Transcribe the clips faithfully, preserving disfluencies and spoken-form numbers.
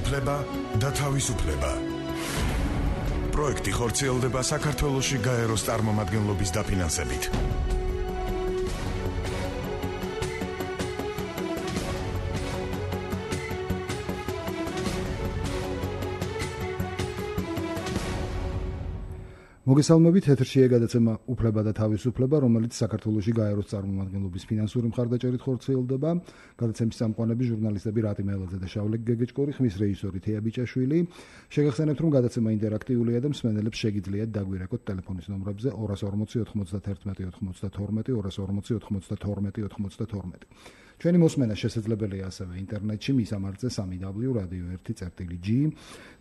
უფლება და თავისუფლება. პროექტი ხორციელდება საქართველოში გაეროს წარმომადგენლობის დაფინანსებით. მოგესალმებით, ეთერშია გადაცემა უფლება და თავისუფლება, რომელიც საქართველოში გაეროს წარმომადგენლობის ფინანსური მხარდაჭერით ხორციელდება. გადაცემის წამყვანები ჟურნალისტები რატი მელაძე და შავლე გეგეჭკორი, ხმის რეჟისორი თეა ბიჭაშვილი. შეგახსენებთ, რომ გადაცემა ინტერაქტიულია და მსმენელებს შეგიძლიათ დაგვირეკოთ ტელეფონის ნომრებზე ორას ორმოცი ოთხმოცდათერთმეტი ოთხმოცდათორმეტი, ორას ორმოცი ოთხმოცდათორმეტი ოთხმოცდათორმეტი. ჩვენი მოსმენა შესაძლებელია ასევე ინტერნეტში, მისამართზე სამი დაბლიუ რადიო ერთი წერტილი ჯი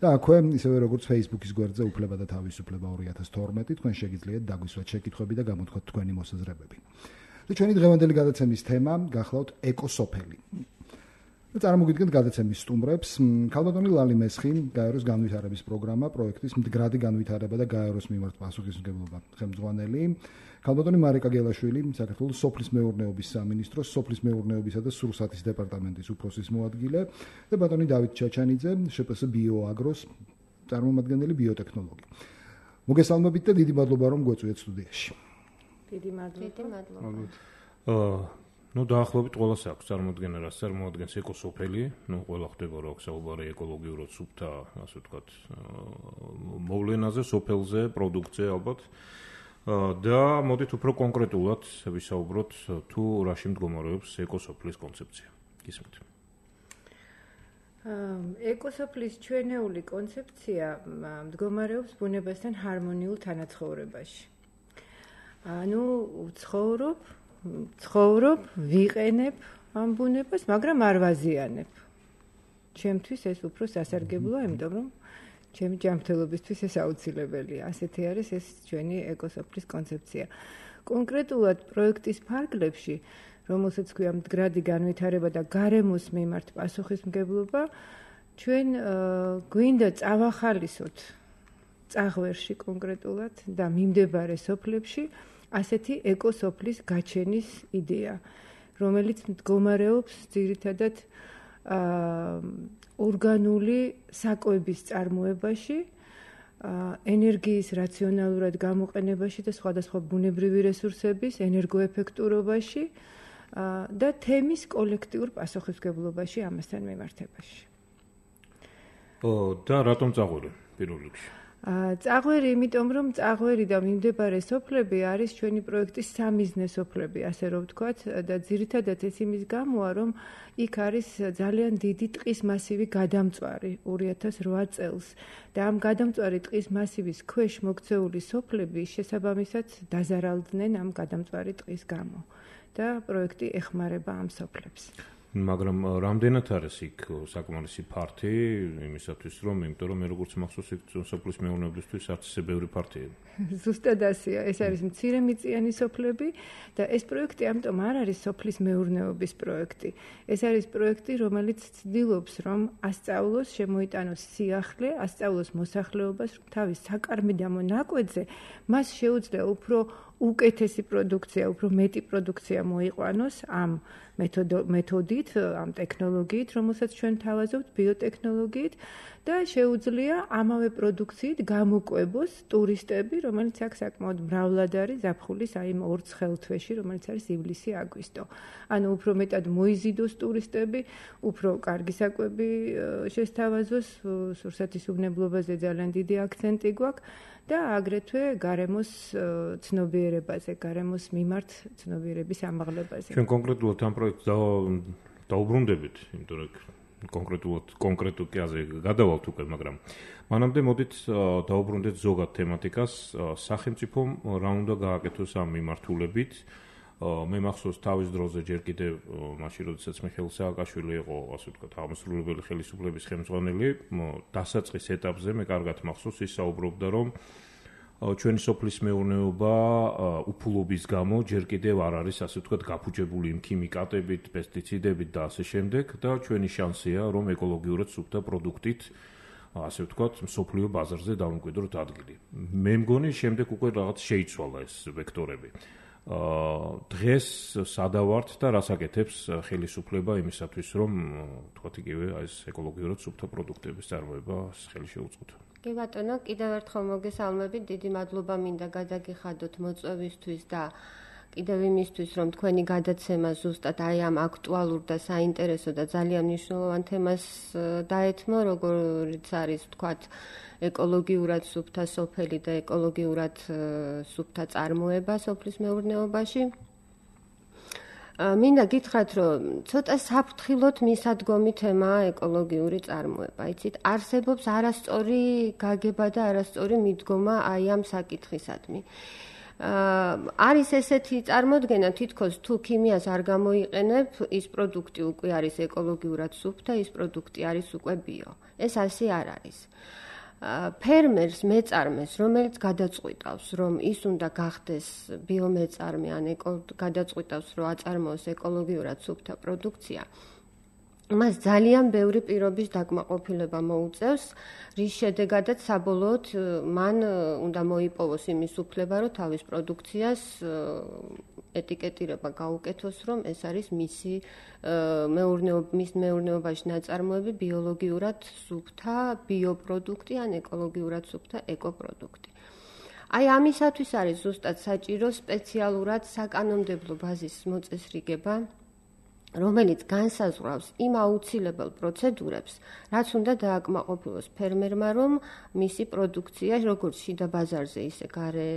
და აქვე, ისევე როგორც Facebook-ის გვერდზე უფლება და თავისუფლება ორი ათას თორმეტი, თქვენ შეგიძლიათ დაგვისვათ შეკითხვები და გამოთქვათ თქვენი მოსაზრებები. და ჩვენი დღევანდელი გადაცემის თემა გახლავთ ეკოსოფელი. და წარმოგიდგენთ გადაცემის სტუმრებს, ქალბატონი ლალი მესხი, გაეროს განვითარების პროგრამა, პროექტის მდგრადი განვითარება და გაეროს მიმართ პასუხისმგებლობა ხელმძღვანელი, ქალბატონი მარიკა გელაშვილი, საქართველოს სოფლის მეურნეობის სამინისტროს სოფლის მეურნეობისა და სურსათის დეპარტამენტის უფროსის მოადგილე და ბატონი დავით ჩაჩანიძე, შპს ბიოაგროს წარმომადგენელი ბიოტექნოლოგი. მოგესალმებით და დიდი მადლობა რომ გვეწვიეთ სტუდიაში. დიდი მადლობა. აა ნუ დაახლოებით ყველას აქვს წარმოადგენა, რაც წარმოადგენს ეკოსოფელი, ნუ ყველა ხდება რომ აქვს საუბარი ეკოლოგიურად სუფთა, ასე ვთქვათ, მოვლენაზე, სოფელზე, პროდუქციაზე ალბათ. და მოდით უფრო კონკრეტულად ვისაუბროთ თუ რაში მდგომარეობს ეკოსოფლის კონცეფცია. გისმით. ეკოსოფლის ჩვენეული კონცეფცია მდგომარეობს ბუნებასთან ჰარმონიულ თანაცხოვრებაში. ანუ ცხოვრობ, ცხოვრობ, ვიყენებ ამ ბუნებას, მაგრამ არ ვაზიანებ. ჩემთვის ეს უფრო სასარგებლოა, იმიტომ რომ ჩემი ჯანმრთელობისთვის ეს აუცილებელია. ასეთი არის ეს ჩვენი ეკოსოფლის კონცეფცია. კონკრეტულად პროექტის ფარგლებში, რომელსაც ქვია მდგრადი განვითარება და გარემოს მიმართ პასუხისმგებლობა, ჩვენ გვინდა წავახალისოთ წაღვერში კონკრეტულად და მიმდებარე სოფლებში ასეთი ეკოსოფლის გაჩენის იდეა, რომელიც მდგომარეობს ძირითადად ორგანული საკვების წარმოებაში, ენერგიის რაციონალურად გამოყენებაში და სხვადასხვა ბუნებრივი რესურსების ენერგოეფექტურობაში და თემის კოლექტიურ პასუხისმგებლობაში ამასთან მიმართებაში. ო და რატომ წაღვერი პირველ რიგში? წაღვერი, იმიტომ რომ წაღვერი და მიმდებარე სოფლები არის ჩვენი პროექტის სამიზნე სოფლები, ასე რომ ვთქვათ, და ძირითადად ეს იმის გამოა, რომ იქ არის ძალიან დიდი ტყის მასივი გადამწვარი ორი ათას რვა წელს და ამ გადამწვარი ტყის მასივის ქვეშ მოქცეული სოფლები შესაბამისად დაზარალდნენ ამ გადამწვარი ტყის გამო და პროექტი ეხმარება ამ სოფლებს. მაგრამ რამდენად არის იქ საკმარისი ფართი იმისათვის რომ, იმიტომ რომ მე როგორც მახსოვს იქ სოფლის მეურნეობისთვის არც ისე ბევრი ფართია. ზუსტად ასეა, ეს არის მცირემიწიანი სოფლები და ეს პროექტი ამიტომ არ არის სოფლის მეურნეობის პროექტი. ეს არის პროექტი, რომელიც ცდილობს რომ ასწავლოს, შემოიტანოს სიახლე, ასწავლოს მოსახლეობას, რომ თავის საკარმიდამო ნაკვეთზე მას შეუძლია უფრო უკეთესი პროდუქცია, უფრო მეტი პროდუქცია მოიყვანოს ამ მეთოდით, ამ ტექნოლოგიით, რომელსაც ჩვენ თავაზობთ ბიოტექნოლოგიით და შეუძლია ამავე პროდუქციით გამოკვებოს ტურისტები, რომელიც აქ საკმაოდ მრავლად არის ზაფხულის აი იმ ორ ცხელთვეში, რომელიც არის ივლისი-აგვისტო. ანუ უფრო მეტად მოიზიდოს ტურისტები, უფრო კარგი საკვები შესთავაზოს, სურსათის უბნებლობაზე ძალიან დიდი აქცენტი გვაქვს და აგრეთვე გარემოს ცნობიერებაზე, გარემოს მიმართ ცნობიერების ამაღლებაზე. ჩვენ კონკრეტულად ამ პროექტს დაუბრუნდებით, იმიტომ რომ კონკრეტულად კონკრეტულ კაზე გადავალთ უკვე, მაგრამ მანამდე მოდით დაუბრუნდეთ ზოგად თემატიკას, სახელმწიფომ რა უნდა გააკეთოს ამ მიმართულებით. მე მახსოვს თავის დროზე ჯერ კიდევ მაშინ როდესაც მიხეილ სააკაშვილი იყო, ასე ვთქვათ, აღმასრულებელი ხელისუფლების ხელმძღვანელი, დასაწყის ეტაპზე მე კარგად მახსოვს ის საუბრობდა, რომ ჩვენი სოფლის მეურნეობა უფულობის გამო ჯერ კიდევ არ არის, ასე ვთქვათ, გაფუჭებული იმ ქიმიკატებით, პესტიციდებით და ასე შემდეგ და ჩვენი შანსია, რომ ეკოლოგიურად სუფთა პროდუქტით, ასე ვთქვათ, მსოფლიო ბაზარზე დავუმკვიდროთ ადგილი. მე მგონი შემდეგ უკვე რაღაც შეიცვალა ეს ვექტორები. დღეს სადავართ და რას აკეთებს ხელისუფლება იმისათვის, რომ თქვათ იგივე აი ეს ეკოლოგიურად სუფთა პროდუქტების წარმოებას ხელი შეუწყოთ. კი ბატონო, კიდევ ერთხელ მოგესალმებით, დიდი მადლობა მინდა გადაგიხადოთ მოწვევისთვის და კიდევ იმისთვის, რომ თქვენი გადაცემა ზუსტად აი ამ აქტუალურ და საინტერესო და ძალიან მნიშვნელოვან თემას დაეთმო, როგორც არის თქვათ ეკოლოგიურად სუფთა სოფელი და ეკოლოგიურად სუფთა წარმოება სოფლის მეურნეობაში. მინდა გითხრათ, რომ ცოტა საფრთხილოდ მისადგომი თემაა ეკოლოგიური წარმოება. იცით, არსებობს არასწორი გაგება და არასწორი მიდგომა აი ამ საკითხისადმი. არის ესეთი წარმოდგენა, თითქოს თუ ქიმიას არ გამოიყენებ, ის პროდუქტი უკვე არის ეკოლოგიურად სუფთა, ის პროდუქტი არის უკვე ბიო. ეს ასე არ არის. ფერმერს, მეწარმეს, რომელიც გადაწყვიტავს, რომ ის უნდა გახდეს ბიომეწარმე, ან გადაწყვიტავს, რომ აწარმოოს ეკოლოგიურად სუფთა პროდუქცია, მას ძალიან ბევრი პირობის დაკმაყოფილება მოუწევს, რის შედეგადაც საბოლოოდ მან უნდა მოიპოვოს იმის უფლება, რომ თავის პროდუქციას ეტიკეტირება გაუკეთოს, რომ ეს არის მისი მეურნეობის მეურნეობაში ნაწარმოები ბიოლოგიურად სუფთა ბიოპროდუქტი ან ეკოლოგიურად სუფთა ეკოპროდუქტი. აი ამისათვის არის ზუსტად საჭირო სპეციალურად საკანონმდებლო ბაზის მოწესრიგება, რომელიც განსაზღვრავს იმ აუცილებელ პროცედურებს, რაც უნდა დააკმაყოფილოს ფერმერმა, რომ მისი პროდუქცია როგორც შიდა ბაზარზე, ისე გარე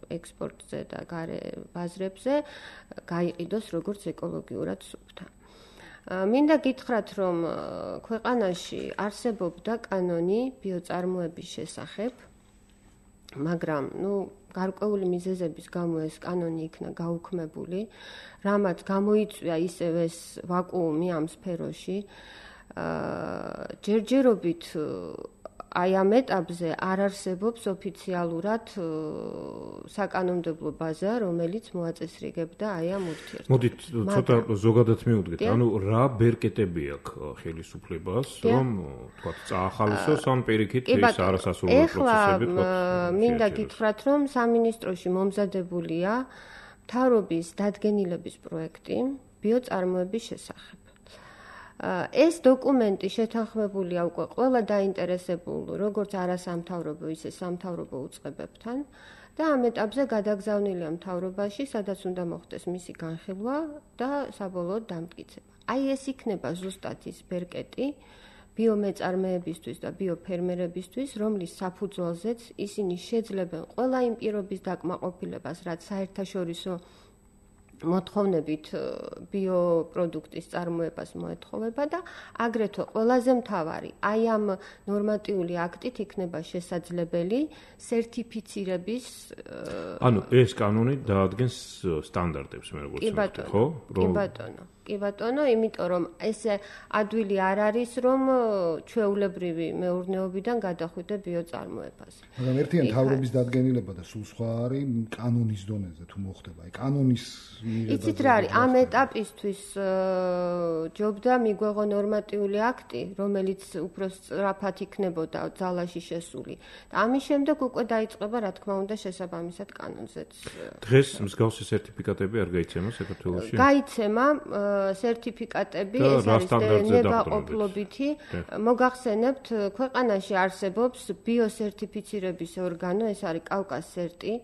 ექსპორტზე და გარე ბაზრებზე გაიყიდოს როგორც ეკოლოგიურად სუფთა. მინდა გითხრათ, რომ ქვეყანაში არსებობდა კანონი ბიოწარმოების შესახებ, მაგრამ, ნუ, გარკვეული მიზეზების გამო ეს კანონი იქნა გაუქმებული, რამაც გამოიწვია ისევ ეს ვაკუუმი ამ სფეროში. ჯერჯერობით აი ამ ეტაპზე არ არსებობს ოფიციალურად საკანონმდებლო ბაზა, რომელიც მოაწესრიგებდა აი ამ ურთიერთობას. მოდით ცოტა ზოგადად მივუდგეთ, ანუ რა ბერკეტები აქვს ხელისუფლებას, რომ თქვა წაახალისოს ან პირიქით ეს არასასურველი პროცესები თქვა. მინდა გითხრათ, რომ სამინისტროში მომზადებულია მთავრობის დადგენილების პროექტი ბიოწარმოების შესახებ. ეს დოკუმენტი შეთანხმებულია უკვე ყველა დაინტერესებულ, როგორც არასამთავრობო, ისე სამთავრობო უწყებებთან და ამ ეტაპზე გადაგზავნილია მთავრობაში, სადაც უნდა მოხდეს მისი განხილვა და საბოლოოდ დამტკიცება. აი ეს იქნება ზუსტად ის ბერკეტი ბიომეწარმეებისთვის და ბიოფერმერებისთვის, რომლის საფუძველზეც ისინი შეძლებენ ყველა იმ პირობის დაკმაყოფილებას, რაც საერთაშორისო მოთხოვნებით ბიოპროდუქტის წარმოებას მოეთხოვება და აგრეთვე ყველაზე მთავარი, აი ამ ნორმატიული აქტით იქნება შესაძლებელი სერტიფიცირების ანუ ეს კანონი დაადგენს სტანდარტებს, მე როგორც ვთქვი, ხო? კი ბატონო. კი ბატონო, იმიტომ რომ ეს ადვილი არ არის, რომ ჩვეულებრივი მეურნეობიდან გადახვიდე ბიოწარმოებაზე. მაგრამ ერთიან თავრობის დადგენილება და სულ სხვა არის კანონის დონეზე თუ მოხდება. აი კანონის იცით რა არის, ამ ეტაპისთვის ჯობდა მიგვეღო ნორმატიული აქტი, რომელიც უფრო სწრაფად იქნებოდა ძალაში შესული. და ამის შემდეგ უკვე დაიწყება, რა თქმა უნდა, შესაბამისად კანონზეც. დღეს მსგავსი სერტიფიკატები არ გაიცემა საქართველოში? გაიცემა სერტიფიკატები, ეს არის ნებაყოფლობითი. მოგახსენებთ, ქვეყანაში არსებობს ბიოსერტიფიცირების ორგანო, ეს არის კავკასერტი,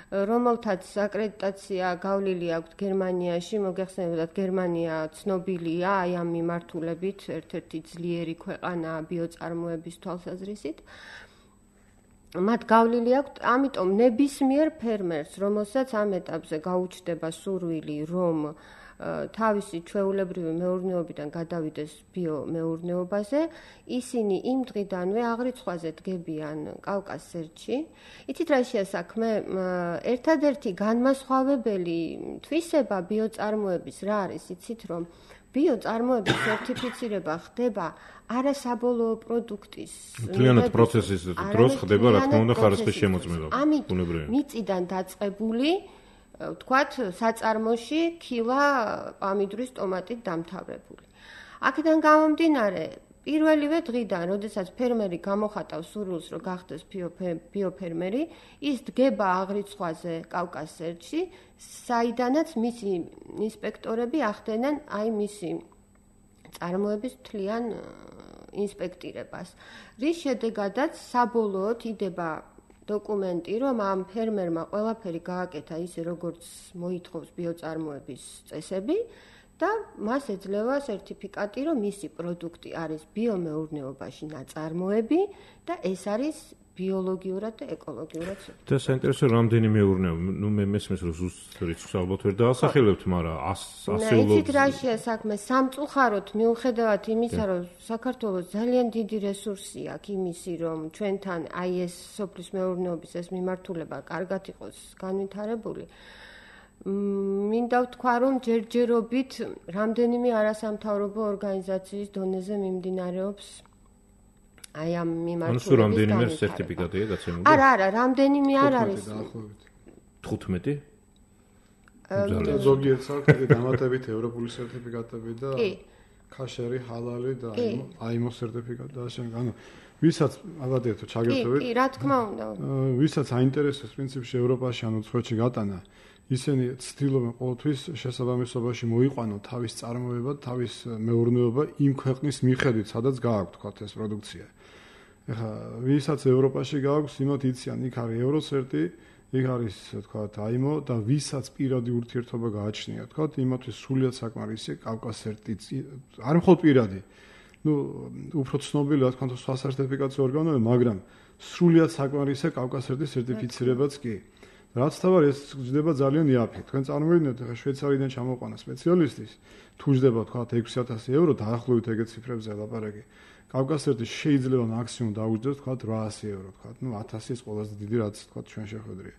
რომელთაც აკრედიტაცია გავლილი აქვს გერმანიაში, მოგახსენებთ, გერმანია ცნობილია აი ამ მიმართულებით, ერთ-ერთი ძლიერი ქვეყანაა ბიოწარმოების თვალსაზრისით. მათ გავლილი აქვს, ამიტომ ნებისმიერ ფერმერს, რომელსაც ამ ეტაპზე გაუჩნდება სურვილი, რომ თავისი ჩვეულებრივი მეურნეობიდან გადავიდეს ბიომეურნეობაზე, ისინი იმ დღიდანვე აღრიცხვაზე დგებიან კავკასერტში. იცით რა შეასაქმე? ერთადერთი განმასხვავებელი თვისება ბიოწარმოების რა არის, იცით რომ ბიოწარმოების სერტიფიცირება ხდება არასაბოლოო პროდუქტის მთლიანად პროცესის დროს ხდება, რა თქმა უნდა, ხარისხის შემოწმება. ბუნებრივია. მიწიდან დაწყებული ვთქვათ, საწარმოში ქილა პამიდრის ტომატით დამთავრებული. აქედან გამომდინარე, პირველივე დღიდან, როდესაც ფერმერი გამოხატავს სურვილს, რომ გახდეს ბიოფერმერი, ის დგება აღრიცხვაზე კავკასერჩი, საიდანაც მისი ინსპექტორები ახდენენ აი მისი წარმოების თლიან ინსპექტირებას. რის შედეგადაც საბოლოოდ იდება დოკუმენტი, რომ ამ ფერმერმა ყველაფერი გააკეთა ისე, როგორც მოითხოვს ბიოწარმოების წესები და მას ეძლევა სერტიფიკატი, რომ მისი პროდუქტი არის ბიომეურნეობაში ნაწარმოები და ეს არის ბიოლოგიურად და ეკოლოგიურად. და საინტერესო რამდენი მეურნეობა, ნუ მე მესმის რომ ზუსტ რიცხვს ალბათ ვერ დაასახელებთ, მაგრამ ასეულობ. იცით რა შეა საქმე, სამწუხაროდ მიუხედავად იმისა, რომ საქართველოს ძალიან დიდი რესურსი აქვს იმისი, რომ ჩვენთან აი ეს სოფლის მეურნეობის ეს მიმართულება კარგად იყოს განვითარებული. მინდა ვთქვა, რომ ჯერჯერობით რამდენიმე არასამთავრობო ორგანიზაციის დონეზე მიმდინარეობს აი ამ მიმართულების. ანუ რამდენიმე სერტიფიკატია გაცემული? არა, არა, რამდენიმე არ არის. თხუთმეტი? ზოგიერთ საქმეში დამატებით ევროპული სერტიფიკატები და ქაშერი, ჰალალი და აიმო სერტიფიკატი და ასე. ანუ ვისაც ალბათ თუ ჩაგერთვებით. კი, რა თქმა უნდა. ვისაც აინტერესებს პრინციპში ევროპაში ანუ სხვეთში გატანა, ისინი ცდილობენ ყოველთვის შესაბამისობაში მოიყვანონ თავის წარმოება, თავის მეურნეობა იმ ქვეყნის მიხედვით, სადაც გააქვთ თქვა ეს პროდუქცია. ეხლა ვისაც ევროპაში გააქვს, იმათ იციან, იქ არის ევროცერტი, იქ არის თქვა აიმო და ვისაც პირადი ურთიერთობა გააჩნია, თქვა იმათთვის სრულიად საკმარისია კავკასერტი. არ მხოლოდ პირადი. ნუ უფრო ცნობილი რა თქმა უნდა სხვა სერტიფიკაციო ორგანოები, მაგრამ სრულიად საკმარისია კავკასერტის სერტიფიცირებაც კი. რაც თავად ეს ჯდება ძალიან იაფი. თქვენ წარმოვიდგინეთ, ხა შვეიცარიიდან ჩამოყვანა სპეციალისტის, თუ ჯდება თქვა ექვსი ათასი ევრო, დაახლოებით ეგეთ ციფრებზე ლაპარაკი. კავკასერტი შეიძლება მაქსიმუმ დაუჯდეს თქვა რვაასი ევრო, თქვა, ნუ ათასი ის ყველაზე დიდი რაც თქვა ჩვენ შეხვედრია.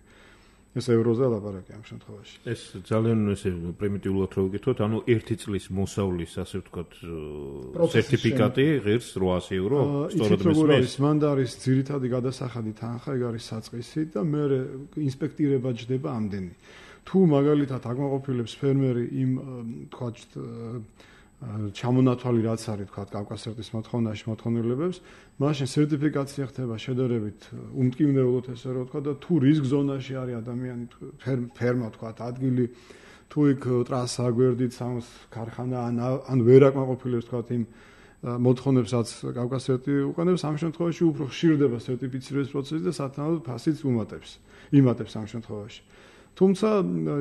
ეს ევროზე ლაპარაკი ამ შემთხვევაში. ეს ძალიან ესე პრიმიტიულად რო ვიკითხოთ, ანუ ერთი წლის მოსავლის, ასე ვთქვათ, სერტიფიკატი ღირს რვაასი ევრო, სწორად მესმის. მან არის ძირითადი გადასახადი თანხა, ეგ არის საწყისი და მე ინსპექტირება ჯდება ამდენი. თუ მაგალითად აკმაყოფილებს ფერმერი იმ თქვათ ჩამონათვალი რაც არის თქვათ კავკასერტის მოთხოვნაში მოთხოვნილებებს, მაშინ სერტიფიკაცია ხდება შედარებით უმტკივნეულოდ ესე რომ ვთქვა და თუ რისკ ზონაში არის ადამიანი ფერმა თქვათ ადგილი თუ იქ ტრასა გვერდით სამს ქარხანა ან ვერ აკმაყოფილებს თქვათ იმ მოთხოვნებსაც კავკასერტი უყენებს, ამ შემთხვევაში უფრო ხშირდება სერტიფიცირების პროცესი და სათანადო ფასიც უმატებს იმატებს ამ შემთხვევაში. თუმცა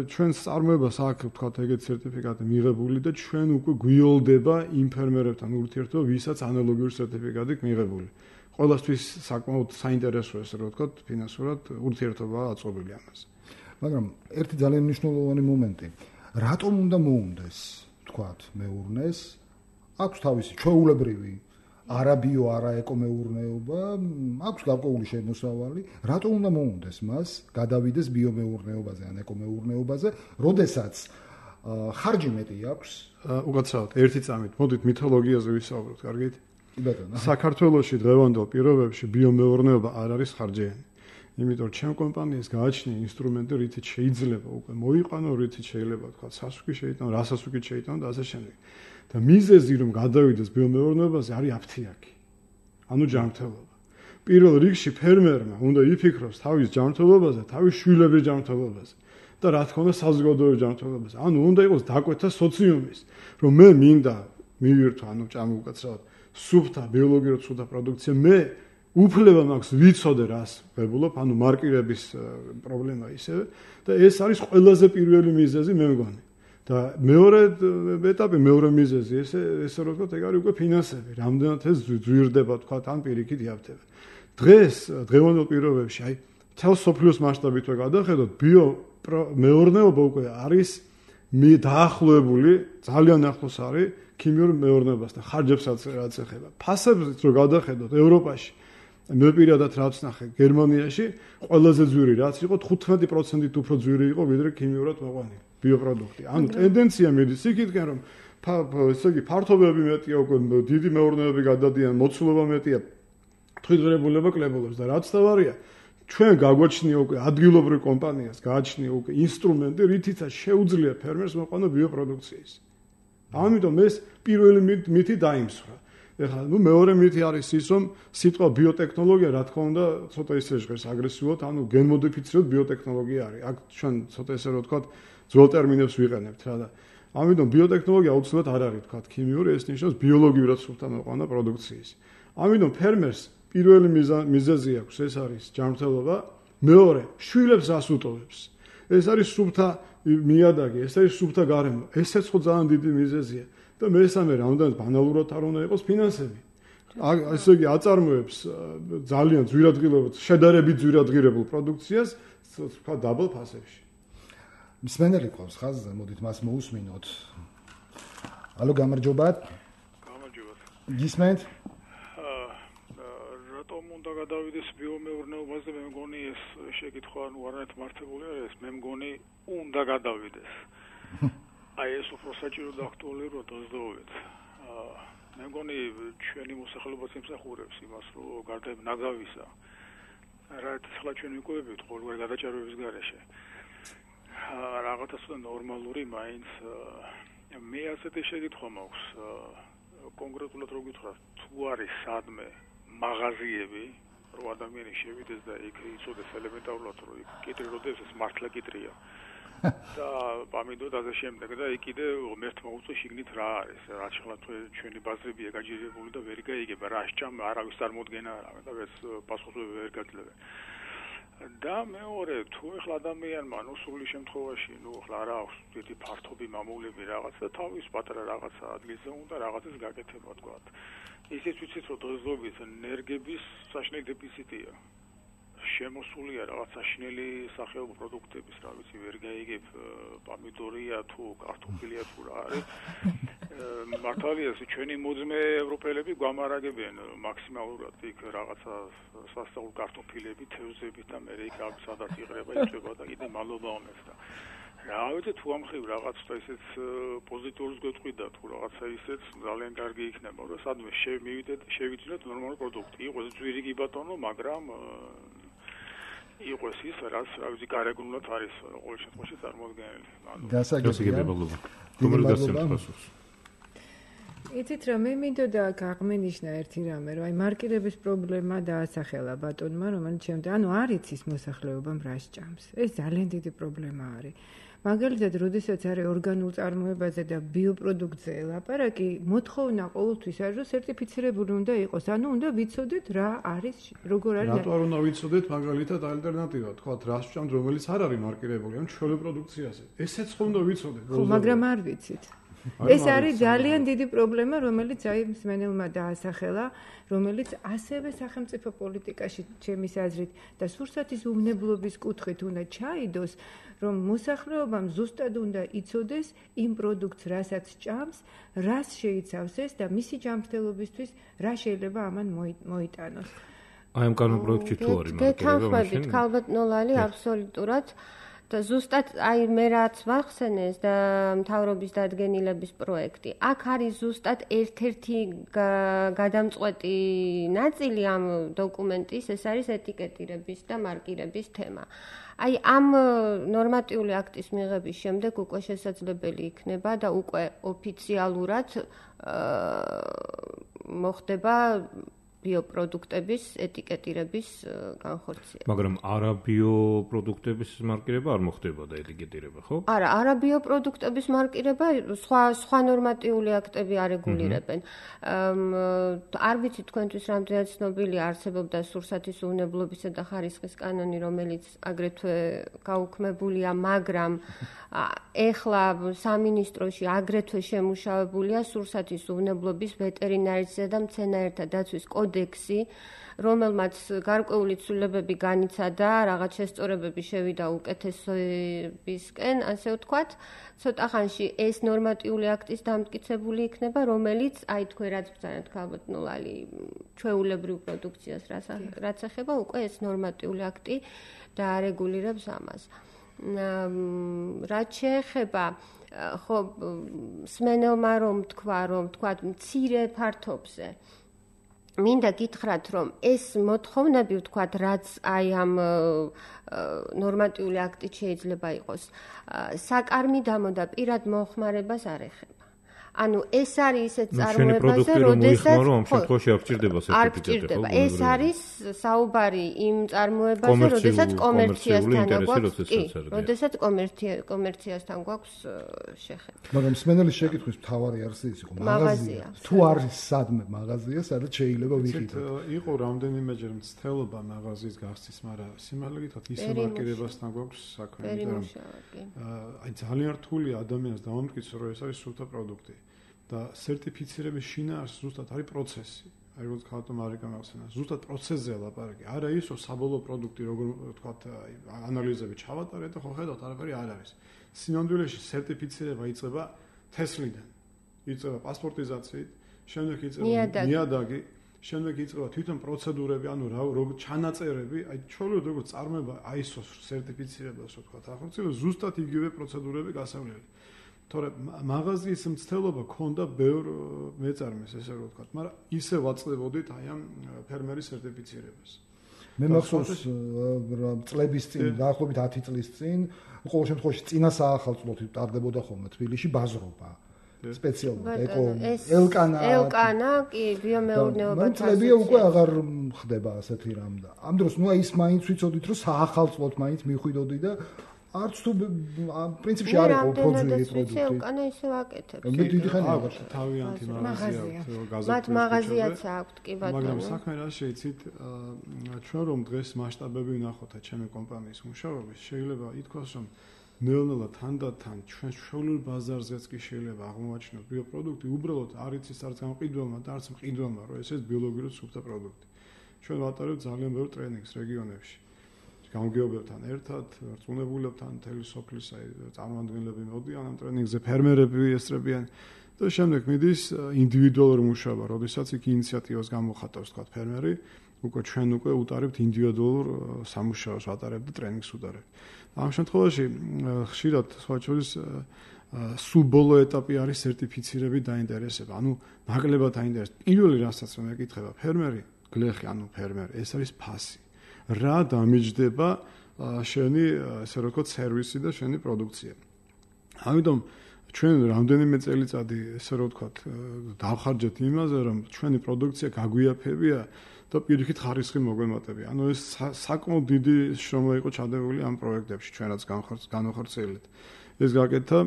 ჩვენს წარმოებას აქვს თქვათ ეგეთ სერტიფიკატი მიღებული და ჩვენ უკვე გვიოლდება იმ ფერმერებთან ურთიერთობა, ვისაც ანალოგიური სერტიფიკატი მიღებული. ყველასთვის საკმაოდ საინტერესოა ესე რომ ვთქვათ, ფინანსურად ურთიერთობა აწობილი ამაზე. მაგრამ ერთი ძალიან მნიშვნელოვანი მომენტი, რატომ უნდა მოუნდეს თქვათ მეურნეს, აქვს თავისი ჩვეულებრივი არა ბიო, არა ეკომეურნეობა, აქვს გარკვეული შემოსავალი, რატომ უნდა მოუნდეს მას გადავიდეს ბიომეურნეობაზე ან ეკომეურნეობაზე, როდესაც ხარჯი მეტი აქვს? უკაცრავად, ერთი წამით, მოდით მითოლოგიაზე ვისაუბროთ, კარგით? კი ბატონო. საქართველოში დღევანდელ პირობებში ბიომეურნეობა არ არის ხარჯიანი. იმიტომ რომ ჩემ კომპანიას გააჩნია ინსტრუმენტი, რითიც შეიძლება უკვე მოიყვანო, რითიც შეიძლება თქვა სასუქი შეიტანო, რასასუქით შეიტანო და ასე შემდეგ. და მიზეზი რომ გადავიდეს ბიომეურნეობაზე არის აფთიაქი. ანუ ჯანმრთელობა. პირველ რიგში ფერმერმა უნდა იფიქროს თავის ჯანმრთელობაზე, თავის შვილების ჯანმრთელობაზე და რა თქმა უნდა საზოგადოების ჯანმრთელობაზე. ანუ უნდა იყოს დაკვეთა სოციუმის, რომ მე მინდა მივირთო, ანუ ჭამი უკაცრავად, სუფთა, ბიოლოგიურად სუფთა პროდუქცია, მე უფლება მაქვს ვიცოდე რას ვებულობ, ანუ მარკირების პრობლემა ისევე და ეს არის ყველაზე პირველი მიზეზი მე მგონი. და მეორე ეტაპი, მეორე მიზეზი, ესე ესე რომ ვთქვათ, ეგ არის უკვე ფინანსები, რამდენად ეს ზვირდება, თქვათ, ან პირიქით იაფთება. დღეს, დღევანდელ პირობებში, აი, თელ სოფლიოს მასშტაბით ვე გადახედოთ, ბიო მეურნეობა უკვე არის დაახლოებული, ძალიან ახლოს არის ქიმიურ მეურნეობასთან, ხარჯებსაც რაც ეხება. ფასებს რო გადახედოთ ევროპაში, მე პირადად რაც ნახე, გერმანიაში ყველაზე ძვირი რაც იყო, თხუთმეტი პროცენტით უფრო ძვირი იყო, ვიდრე ქიმიურად მოყვანილი ბიოპროდუქტი. ანუ ტენდენცია მიდის იქითკენ, რომ ესე იგი ფართობები მეტია, უკვე დიდი მეურნეობები გადადიან, მოცულობა მეტია, თვითღრებულება კლებულობს და რაც თავარია, ჩვენ გაგვაჩნია უკვე ადგილობრივ კომპანიას, გააჩნია უკვე ინსტრუმენტი, რითიცაც შეუძლია ფერმერს მოყვანო ბიოპროდუქციის. ამიტომ ეს პირველი მითი დაიმსხვრა. ეხლა ნუ მეორე მითი არის ის, რომ სიტყვა ბიოტექნოლოგია რა თქმა უნდა ცოტა ისე ჟღერს აგრესიულად, ანუ გენმოდიფიცირებულ ბიოტექნოლოგია არის. აქ ჩვენ ცოტა ესე რომ ვთქვათ, ძველ ტერმინებს ვიყენებთ რა და ამიტომ ბიოტექნოლოგია აუცილებლად არ არის ვთქვათ ქიმიური, ეს ნიშნავს ბიოლოგიურად სუფთა მოყვანა პროდუქციის. ამიტომ ფერმერს პირველი მიზეზი აქვს, ეს არის ჯანმრთელობა, მეორე შვილებს ასუტოვებს. ეს არის სუფთა მიადაგი, ეს არის სუფთა გარემო. ესეც ხო ძალიან დიდი მიზეზია. და მესამე რამოდენად ბანალურად არ უნდა იყოს ფინანსები. ასე იგი აწარმოებს ძალიან ძვირადღირებულ, შედარებით ძვირადღირებულ პროდუქციას, თქვა დაბალ ფასებში. მსმენელი ყავს ხაზზე, მოდით მას მოусმინოთ. ალო, გამარჯობათ. გამარჯობათ. გისმენთ? აა რატომ უნდა გადავიდეს ბიომეურნეობაზე? მე მგონი ეს შეკითხვა ნუ არანაირად მართებული არ არის. მე მგონი უნდა გადავიდეს. აი ეს უფრო საჭირო და აქტუალური რო დაზდოვეთ. აა მე მგონი ჩვენი მოსახლეობაც იმსახურებს იმას, რომ გარდა ნაგავისა რაც ახლა ჩვენ ვიკუებებით ყოველგვარ გადაჭარბების გარეშე. აა რაღაცა ცოტა ნორმალური მაინც მე ასეთი შეკითხვა მაქვს კონკრეტულად რო გითხრათ, თუ არის სადმე მაღაზიები, რომ ადამიანი შევიდეს და იქ იცოდეს ელემენტარულად, რომ იქ კიტრი როდეს ეს მართლა კიტრია. და ამიტომ ასე შემდეგ და იქ კიდე ღმერთმა უწო შიგნით რა არის, რაც ახლა ჩვენი ბაზრებია გაჯერებული და ვერ გაიგება რა სჭამ არავის წარმოდგენა არა და ეს პასუხები ვერ გაძლევენ. და მეორე თუ ახლა ადამიანმა ნუ სრული შემთხვევაში ნუ ახლა რა აქვს დიდი ფართობი მამულები რაღაც და თავის პატარა რაღაცა ადგილზე უნდა რაღაცას გაკეთება თქვა. ისიც ვიცით რომ დოზობის ენერგების საშინელი დეფიციტია. შემოსულია რაღაც საშინელი სახეობრივი პროდუქტების, რა ვიცი, ვერ გაიგებ, პომიდორია თუ კარტოფილია თუ რა არის. მართალია, ჩვენი მოძმე ევროპელები გვამარაგებენ მაქსიმალურად იქ რაღაცა სასწაულ კარტოფილები, თევზები და მე იქ სადაც იღრება, იწება და კიდე მალობა ომებს და რა ვიცი თუ ამხრივ რაღაც და ისეც პოზიტიურს გვეთყვიდა თუ რაღაცა ისეც ძალიან კარგი იქნება, რომ სადმე შევიდეთ, შევიძინოთ ნორმალური პროდუქტი. იყოს ძვირიგი ბატონო, მაგრამ იყოს ის, რაც რა ვიცი, გარეგნულად არის ყოველ შემთხვევაში წარმოადგენელი. გასაგებია. რომელი გასცემს? იცით რა, მე მინდოდა გაღმენიშნა ერთი რამე, რომ აი მარკირების პრობლემა დაასახელა ბატონმა, რომელიც შემდეგ, ანუ არ იცის მოსახლეობამ რა სჭამს. ეს ძალიან დიდი პრობლემა არის. მაგალითად, როდესაც არის ორგანულ წარმოებაზე და ბიოპროდუქტზე ლაპარაკი, მოთხოვნა ყოველთვის არის, რომ სერტიფიცირებული უნდა იყოს. ანუ უნდა ვიცოდეთ რა არის, როგორ არის. რატო არ უნდა ვიცოდეთ მაგალითად ალტერნატივა, თქვათ, რა სჭამთ, რომელიც არ არის მარკირებული, ან ჩვენი პროდუქციაზე. ესეც ხო უნდა ვიცოდეთ. ხო, მაგრამ არ ვიცით. ეს არის ძალიან დიდი პრობლემა, რომელიც აი მსმენელმა დაასახელა, რომელიც ასევე სახელმწიფო პოლიტიკაში ჩემის აზრით და სურსათის უვნებლობის კუთხით უნდა ჩაიდოს, რომ მოსახლეობამ ზუსტად უნდა იცოდეს იმ პროდუქტს, რასაც ჭამს, რას შეიცავს ეს და მისი ჯანმრთელობისთვის რა შეიძლება ამან მოიტანოს. აი ამ კანონპროექტში თუ არის მარკირება. გეთანხმებით, ქალბატონოლალი აბსოლუტურად და ზუსტად აი მე რაც ვახსენეს და მთავრობის დადგენილების პროექტი. აქ არის ზუსტად ერთ-ერთი გადამწყვეტი ნაწილი ამ დოკუმენტის, ეს არის ეტიკეტირების და მარკირების თემა. აი ამ ნორმატიული აქტის მიღების შემდეგ უკვე შესაძლებელი იქნება და უკვე ოფიციალურად მოხდება ბიოპროდუქტების ეტიკეტირების განხორციელება. მაგრამ არა ბიოპროდუქტების მარკირება არ მოხდება და ეტიკეტირება, ხო? არა, არა ბიოპროდუქტების მარკირება, სხვა სხვა ნორმატიული აქტები არეგულირებენ. არ ვიცი თქვენთვის რამდენად ცნობილია, არსებობდა სურსათის უვნებლობისა და ხარისხის კანონი, რომელიც აგრეთვე გაუქმებულია, მაგრამ ეხლა სამინისტროში აგრეთვე შემუშავებულია სურსათის უვნებლობის ვეტერინარისა და მცენარეთა დაცვის კოდექსი, რომელმაც გარკვეული ცვლილებები განიცადა, რაღაც შესწორებები შევიდა უკეთესობისკენ, ასე ვთქვათ. ცოტა ხანში ეს ნორმატიული აქტის დამტკიცებული იქნება, რომელიც აი თქვენ რაც ბრძანეთ ქალბატონოლალი ჩვეულებრივ პროდუქციას რაც ეხება, უკვე ეს ნორმატიული აქტი დაარეგულირებს ამას. რაც შეეხება ხო სმენელმა რომ თქვა რომ თქვა მცირე ფართობზე მინდა გითხრათ რომ ეს მოთხოვნები ვთქვათ რაც აი ამ ნორმატიული აქტით შეიძლება იყოს საკარმიდამო და პირად მოხმარებას არ ეხება. ანუ ეს არის ისეთ წარმოებაზე, როდესაც ამ შემთხვევაში არ გჭირდება სერტიფიკატი, ხო? ეს არის საუბარი იმ წარმოებაზე, როდესაც კომერციასთან გვაქვს, კი, როდესაც კომერციასთან გვაქვს შეხედვა. მაგრამ სმენელის შეკითხვის მთავარი არის ის, იყო მაღაზია. თუ არის სადმე მაღაზია, სადაც შეიძლება ვიყიდოთ. იყო რამდენიმეჯერ მცდელობა მაღაზიის გახსნის, მაგრამ სიმართლე გითხრათ, ისე მარკირებასთან გვაქვს საქმე, იმიტომ აი ძალიან რთულია ადამიანს დავამტკიცო, რომ ეს არის სულთა პროდუქტი. და სერტიფიცირების შინაარსი ზუსტად არის პროცესი. აი როგორც ხალხო მარიკა მახსენა, ზუსტად პროცესზე ლაპარაკი. არა ის, რომ საბოლოო პროდუქტი როგორ ვთქვათ, ანალიზები ჩავატარეთ და ხო ხედავთ, არაფერი არ არის. სინამდვილეში სერტიფიცირება იწყება თესლიდან. იწყება პასპორტიზაციით, შემდეგ იწყება ნიადაგი, შემდეგ იწყება თვითონ პროცედურები, ანუ რა როგორ ჩანაწერები, აი ჩვეულებრივ როგორც წარმოება აი ეს სერტიფიცირებას ვთქვათ, ახორციელებს ზუსტად იგივე პროცედურები გასავლელი. თორე მაღაზიის მცდელობა ქონდა ბევრ მეწარმეს, ესე რომ ვთქვათ, მაგრამ ისე ვაწყდებოდით აი ამ ფერმერის სერტიფიცირებას. მე მახსოვს წლების წინ, დაახლოებით ათი წლის წინ, ყოველ შემთხვევაში წინა საახალწლოდ ტარდებოდა ხოლმე თბილისში ბაზრობა. სპეციალურად ეკო ელკანა ელკანა კი ბიომეურნეობათან წლებია უკვე აღარ ხდება ასეთი რამ და ამ დროს ნუ აი ის მაინც ვიცოდით რომ საახალწლოდ მაინც მიხვიდოდი და არც თუ პრინციპში არ იყო ფოძვიერი პროდუქტი. ელკანა ისე ვაკეთებ. მე დიდი ხანი აქვს თავიანთი მაღაზია აქვს. მათ მაღაზიაც აქვს კი ბატონო. მაგრამ საქმე რა შეიცით, ჩვენ რომ დღეს მასშტაბები ვნახოთ ჩემი კომპანიის მუშაობის, შეიძლება ითქვას რომ ნელ-ნელა თანდათან ჩვენ შეუძლებელი ბაზარზეც კი შეიძლება აღმოაჩინოთ ბიოპროდუქტი, უბრალოდ არ იცის არც გამყიდველმა და არც მყიდველმა, რომ ეს ეს ბიოლოგიური სუფთა პროდუქტი. ჩვენ ვატარებთ ძალიან ბევრ ტრენინგს რეგიონებში. გამგეობებთან ერთად, რწმუნებულებთან, მთელი სოფლის აი წარმომადგენლები მოდიან ამ ტრენინგზე, ფერმერები ესწრებიან და შემდეგ მიდის ინდივიდუალური მუშაობა, როდესაც იქ ინიციატივას გამოხატავს თქვა ფერმერი, უკვე ჩვენ უკვე უტარებთ ინდივიდუალურ სამუშაოს, ვატარებთ და ტრენინგს უტარებთ. ამ შემთხვევაში ხშირად სხვა შორის სულ ბოლო ეტაპი არის სერტიფიცირების დაინტერესება. ანუ ნაკლებად დაინტერესება. პირველი რასაც მე მეკითხება ფერმერი, გლეხი, ანუ ფერმერი, ეს არის ფასი. რა დამიჯდება შენი, ესე რომ ვთქვათ, სერვისი და შენი პროდუქცია. ამიტომ ჩვენ რამდენიმე წელიწადი, ესე რომ ვთქვათ, დავხარჯეთ იმაზე, რომ ჩვენი პროდუქცია გაგვიაფებია და პირიქით ხარისხი მოგვემატებია. ანუ ეს საკმაოდ დიდი შრომა იყო ჩადებული ამ პროექტებში, ჩვენ რაც განვახორციელებთ. ეს გაკეთა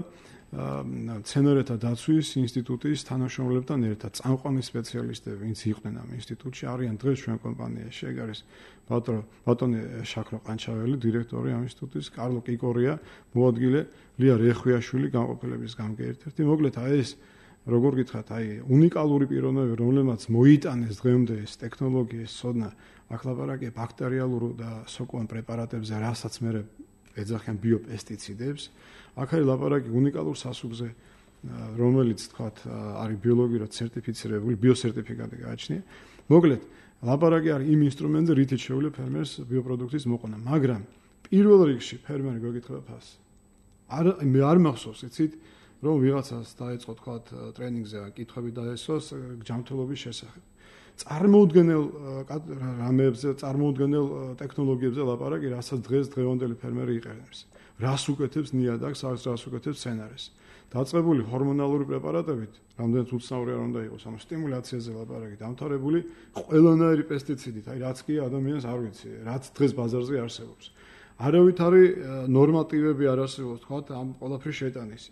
მცენარეთა დაცვის ინსტიტუტის თანამშრომლებთან ერთად, წამყვანი სპეციალისტები, ვინც იყვნენ ამ ინსტიტუტში, არიან დღეს ჩვენ კომპანიაში. ეგ არის ბატონი შაქრო ყანჩაველი, დირექტორი ამ ინსტიტუტის, კარლო კიკორია, მოადგილე, ლია რეხვიაშვილი, განყოფილების გამგე ერთ-ერთი. მოკლედ აი ეს როგორ გითხრათ, აი უნიკალური პიროვნებები, რომლებმაც მოიტანეს დღემდე ეს ტექნოლოგია, ეს ცოდნა, აქ ლაპარაკია ბაქტერიალურ და სოკოვან პრეპარატებზე, რასაც მე ეძახიან ბიოპესტიციდებს. აქ არის ლაპარაკი უნიკალურ სასუქზე, რომელიც თქვათ არის ბიოლოგიურად სერტიფიცირებული, ბიოსერტიფიკატი გააჩნია. მოკლედ, ლაპარაკი არის იმ ინსტრუმენტზე, რითიც შეუძლია ფერმერს ბიოპროდუქტის მოყვანა, მაგრამ პირველ რიგში ფერმერი გეკითხება ფასს. არ მე არ მახსოვს, იცით, რომ ვიღაცას დაეწყო თქვათ ტრენინგზე კითხვები დაესვას ჯანმრთელობის შესახებ. წარმოუდგენელ რამებზე, წარმოუდგენელ ტექნოლოგიებზე ლაპარაკი, რასაც დღეს დღევანდელი ფერმერი იყენებს. რას უკეთებს ნიადაგს, რას უკეთებს მცენარეს. დაწყებული ჰორმონალური პრეპარატებით, რამდენიც უცნაური არ უნდა იყოს, ანუ სტიმულაციაზე ლაპარაკი, დამთავრებული ყველანაირი პესტიციდით, აი რაც კი ადამიანს არ ვიცი, რაც დღეს ბაზარზე არსებობს. არავითარი ნორმატივები არ არსებობს, თქვათ, ამ ყველაფრის შეტანის.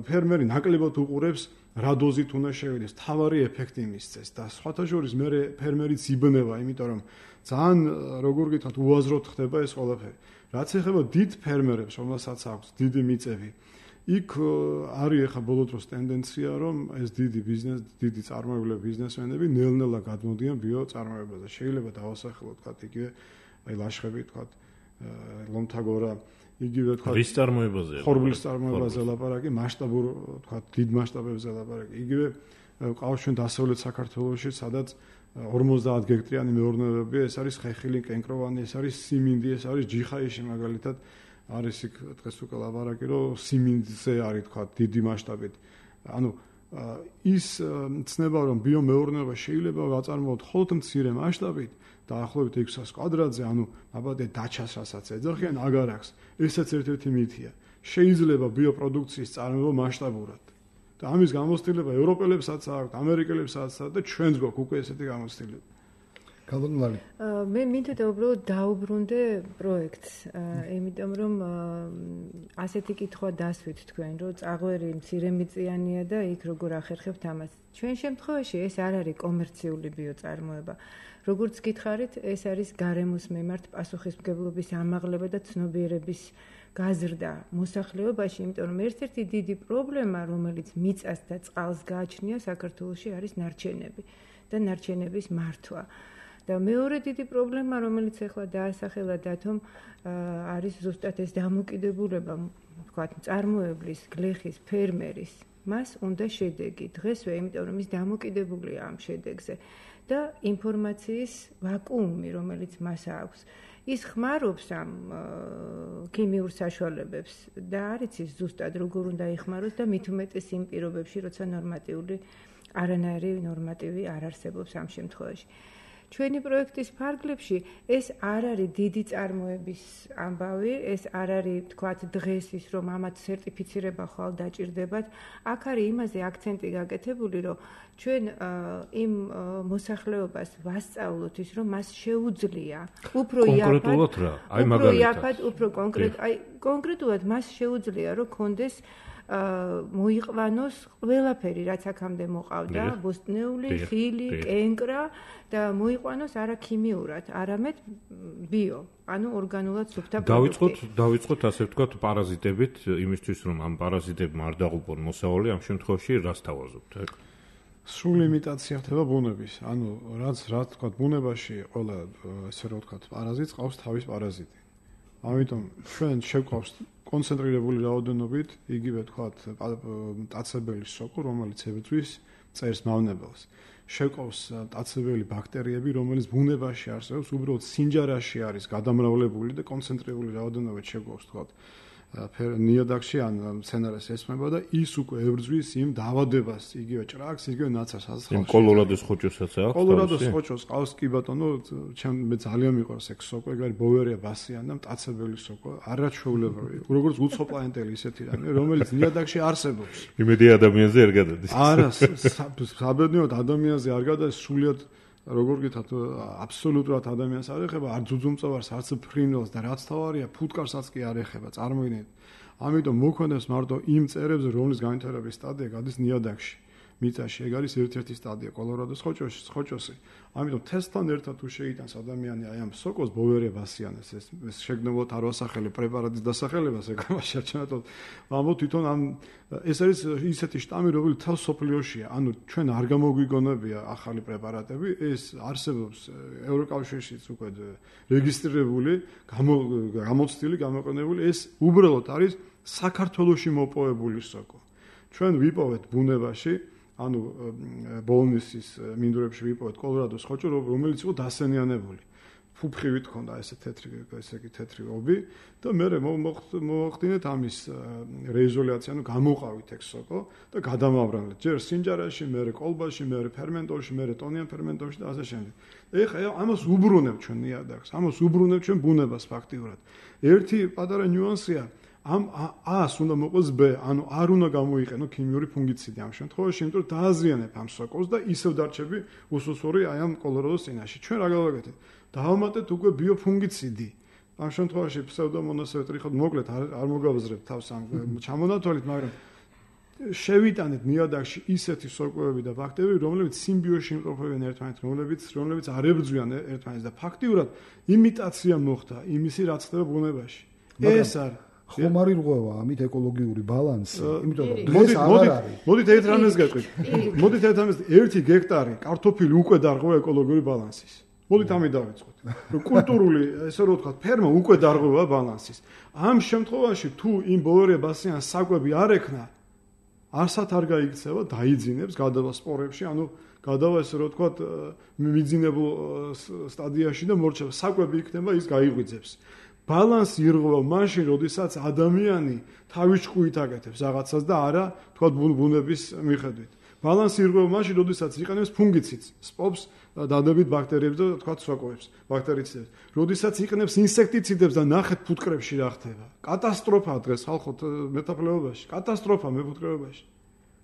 ფერმერი ნაკლებად უყურებს რა დოზით უნდა შევიდეს, თავარი ეფექტი მისცეს და სხვათა შორის მე ფერმერიც იბნება, იმიტომ რომ ძალიან როგორ გითხრათ, უაზროდ ხდება ეს ყველაფერი. რაც ეხება დიდ ფერმერებს, რომელსაც აქვს დიდი მიწები, იქ არის ახლა ბოლო დროს ტენდენცია, რომ ეს დიდი ბიზნეს, დიდი წარმოებლები, ბიზნესმენები ნელ-ნელა გადმოდიან ბიოწარმოებაზე. შეიძლება დავასახელოთ, თქვათ, იგივე აი ლაშხები, თქვათ, ლომთაგორა, იგივე თქვათ, რის წარმოებაზე? ხორბლის წარმოებაზე ლაპარაკი, მასშტაბურ, თქვათ, დიდ მასშტაბებზე ლაპარაკი. იგივე ყავს ჩვენ დასავლეთ საქართველოში, სადაც ორმოცდაათ გექტრიანი მეურნეობებია, ეს არის ხეხილი, კენკროვანი, ეს არის სიმინდი, ეს არის ჯიხაიში მაგალითად. არის იქ დღეს უკვე ლაპარაკი, რომ სიმინდზე არის თქვათ დიდი მასშტაბით. ანუ ის ცნება, რომ ბიომეურნეობა შეიძლება ვაწარმოოთ მხოლოდ მცირე მასშტაბით, დაახლოებით ექვსას კვადრატზე, ანუ აბადე დაჩას რასაც ეძახიან, აგარ აქვს. ესაც ერთ-ერთი მითია. შეიძლება ბიოპროდუქციის წარმოება მასშტაბურად. და ამის გამოცდილება ევროპელებსაც აქვს, ამერიკელებსაც აქვს და ჩვენს გვაქვს უკვე ესეთი გამოცდილება. გალონლარი. მე მინდოდა უბრალოდ დაუბრუნდე პროექტს, იმიტომ რომ ასეთი კითხვა დასვით თქვენ, რომ წაღვერი მცირემიწიანია და იქ როგორ ახერხებთ ამას. ჩვენ შემთხვევაში ეს არ არის კომერციული ბიოწარმოება. როგორც გითხარით, ეს არის გარემოს მიმართ პასუხისმგებლობის ამაღლება და ცნობიერების გაზრდა მოსახლეობაში, იმიტომ რომ ერთ-ერთი დიდი პრობლემა, რომელიც მიწას და წყალს გააჩნია საქართველოში, არის ნარჩენები და ნარჩენების მართვა. და მეორე დიდი პრობლემა, რომელიც ახლა დაასახელა დათომ, არის ზუსტად ეს დამოკიდებულება, ვთქვათ, მწარმოებლის, გლეხის, ფერმერის. მას უნდა შედეგი დღესვე, იმიტომ რომ ის დამოკიდებულია ამ შედეგზე და ინფორმაციის ვაკუუმი, რომელიც მას აქვს. ის ხმარობს ამ ქიმიურ საშუალებებს და არ იცის ზუსტად როგორ უნდა იხმაროს და მით უმეტეს იმ პირობებში, როცა ნორმატიული არანაირი ნორმატივი არ არსებობს ამ შემთხვევაში. ჩვენი პროექტის ფარგლებში ეს არ არის დიდი წარმოების ამბავი, ეს არ არის, თქვათ, დღეს ის, რომ ამათ სერტიფიცირება ხვალ დაჭირდებათ. აქ არის იმაზე აქცენტი გაკეთებული, რომ ჩვენ იმ მოსახლეობას ვასწავლოთ ის, რომ მას შეუძლია უფრო კონკრეტულად რა? აი მაგალითად, უფრო კონკრეტ, აი კონკრეტულად მას შეუძლია, რომ კონდეს მოიყვანოს ყველაფერი, რაც აქამდე მოყავდა, ბოსტნეული, ხილი, კენკრა და მოიყვანოს არა ქიმიურად, არამედ ბიო, ანუ ორგანულად სუფთა პროდუქტი. დავიწყოთ, დავიწყოთ ასე ვთქვათ, პარაზიტებით, იმისთვის რომ ამ პარაზიტებმა არ დაღუპონ მოსავალი, ამ შემთხვევაში რას თავაზობთ? სრული იმიტაცია ხდება ბუნების. ანუ რაც რა ვთქვათ, ბუნებაში ყველა ესე რომ ვთქვათ, პარაზიტს ყავს თავის პარაზიტი. ამიტომ ჩვენ შევყავს კონცენტრირებული რაოდენობით, იგივე თქვათ, მტაცებელი სოკო, რომელიც ებრძვის მწერს მავნებელს. შევყავს მტაცებელი ბაქტერიები, რომელიც ბუნებაში არსებობს, უბრალოდ სინჯარაში არის გადამრავლებული და კონცენტრირებული რაოდენობით შევყავს, თქვათ, ნიადაგში ან მცენარეს ესმება და ის უკვე ებრძვის იმ დაავადებას, იგივე ჭრაკს, იგივე ნაცარს ასხავს. იმ კოლორადოს ხოჭოსაც აქვს? კოლორადოს ხოჭოს ყავს კი ბატონო, ჩემ მე ძალიან მიყვარს ეგ სოკო, ეგ არის ბოვერია ბასიანი და მტაცებელი სოკო, არაჩვეულებრივი. როგორც უცხო პლანეტელი ისეთი რამე, რომელიც ნიადაგში არსებობს. იმედი ადამიანზე არ გადადის. არა, საბედნიეროდ ადამიანზე არ გადადის, სულიად როგორ გითხრათ, აბსოლუტურად ადამიანს არ ეხება, არ ძუძუმწოვარს, არც ფრინველს და რაც თავარია, ფუტკარსაც კი არ ეხება, წარმოიდგინეთ. ამიტომ მოქმედებს მარტო იმ მწერებზე, რომლის განვითარების სტადია გადის ნიადაგში. მიწაში ეგ არის ერთ-ერთი სტადია კოლორადოს ხოჭოში, ხოჭოსი. ამიტომ თესთან ერთად თუ შეიტანს ადამიანი აი ამ სოკოს ბოვერია ბასიანეს, ეს ეს შეგნებულად არ ვასახელებ პრეპარატის დასახელებას, ეგ ამაში არჩენათო. ამბობ თვითონ ამ ეს არის ისეთი შტამი, რომელიც თავს სოფლიოშია. ანუ ჩვენ არ გამოგვიგონებია ახალი პრეპარატები, ეს არსებობს ევროკავშირშიც უკვე რეგისტრირებული, გამოცდილი, გამოყენებული, ეს უბრალოდ არის საქართველოში მოპოვებული სოკო. ჩვენ ვიპოვეთ ბუნებაში ანუ ბოლნისის მინდვრებში ვიპოვეთ კოლორადოს ხოჭო, რომელიც იყო დასენიანებული. ფუფხივით ჰქონდა ესე თეთრი, ესე იგი თეთრი ობი და მე მოახდინეთ ამის რეიზოლაცია, ანუ გამოყავით ეგ სოკო და გადამავრანეთ. ჯერ სინჯარაში, მე კოლბაში, მე ფერმენტორში, მე ტონიან ფერმენტორში და ასე შემდეგ. ეხლა ამას უბრუნებ ჩვენ ნიადაგს, ამას უბრუნებ ჩვენ ბუნებას ფაქტიურად. ერთი პატარა ნიუანსია ამ ას უნდა მოყოს ბ, ანუ არ უნდა გამოიყენო ქიმიური ფუნგიციდი ამ შემთხვევაში, იმიტომ რომ დააზიანებ ამ სოკოს და ისევ დარჩები უსუსური აი ამ კოლორადოს წინაშე. ჩვენ რა გავაკეთეთ? დავამატეთ უკვე ბიოფუნგიციდი. ამ შემთხვევაში ფსევდომონასზე ტრიხოთ მოკლედ არ მოგავაზრებ თავს ამ ჩამონათვალით, მაგრამ შევიტანეთ ნიადაგში ისეთი სოკოები და ბაქტერიები, რომლებიც სიმბიოზში იმყოფებიან ერთმანეთს, რომლებიც რომლებიც არ ებრძვიან ერთმანეთს და ფაქტიურად იმიტაცია მოხდა იმისი, რაც ხდება ბუნებაში. ეს არის ხომ არ ირღვევა ამით ეკოლოგიური ბალანსი, იმიტომ რომ დღეს აღარ არის. მოდით ერთ რამეს გეტყვით. მოდით ერთ რამეს ერთი გექტარი კარტოფილი უკვე დარღვევა ეკოლოგიური ბალანსის. მოდით ამით დავიწყოთ. რომ კულტურული, ესე რომ ვთქვათ, ფერმა უკვე დარღვევა ბალანსის. ამ შემთხვევაში თუ იმ ბოვერია ბასიანს საკვები არ ექნა, არსად არ გაიქცევა, დაიძინებს, გადავა სპორებში, ანუ გადავა ესე რომ ვთქვათ, მიძინებულ სტადიაში და მორჩება. საკვები იქნება, ის გაიღვიძებს. ბალანსი ირღვევა მაშინ, როდესაც ადამიანი თავის ჭკუით აკეთებს რაღაცას და არა, თქვა ბუნების მიხედვით. ბალანსი ირღვევა მაშინ, როდესაც იყენებს ფუნგიციდს, სპობს დადებით ბაქტერიებს და თქვა სოკოებს, ბაქტერიციდებს. როდესაც იყენებს ინსექტიციდებს და ნახეთ ფუტკრებში რა ხდება. კატასტროფაა დღეს ხალხო მეთაფლეობაში, კატასტროფა მეფუტკრეობაში.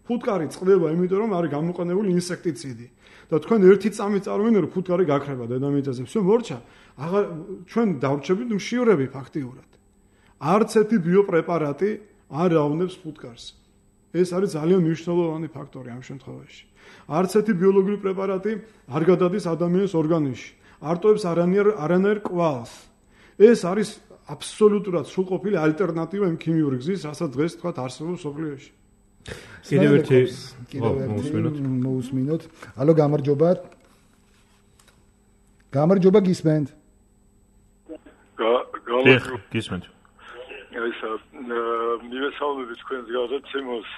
ფუტკარი წყდება, იმიტომ რომ არის გამოყენებული ინსექტიციდი. და თქვენ ერთი წამით წარმოიდგინეთ, რომ ფუტკარი გაქრება დედამიწაზე. всё მორჩა. აღარ ჩვენ დავრჩებით მშივრები ფაქტიურად. არც ერთი ბიოპრეპარატი არ რავნებს ფუტკარს. ეს არის ძალიან მნიშვნელოვანი ფაქტორი ამ შემთხვევაში. არც ერთი ბიოლოგიური პრეპარატი არ გადადის ადამიანის ორგანიზმში. არ ტოვებს არანაირ არანაირ კვალს. ეს არის აბსოლუტურად სრულყოფილი ალტერნატივა იმ ქიმიური გზის, რასაც დღეს თქვა არსებობს სოფლიოში. კიდევ ერთი მოусმინოთ. მოусმინოთ. ალო, გამარჯობა. გამარჯობა გისმენთ. გამარჯობა. გისმენთ. ისა მივესალმებით თქვენს გადაცემას.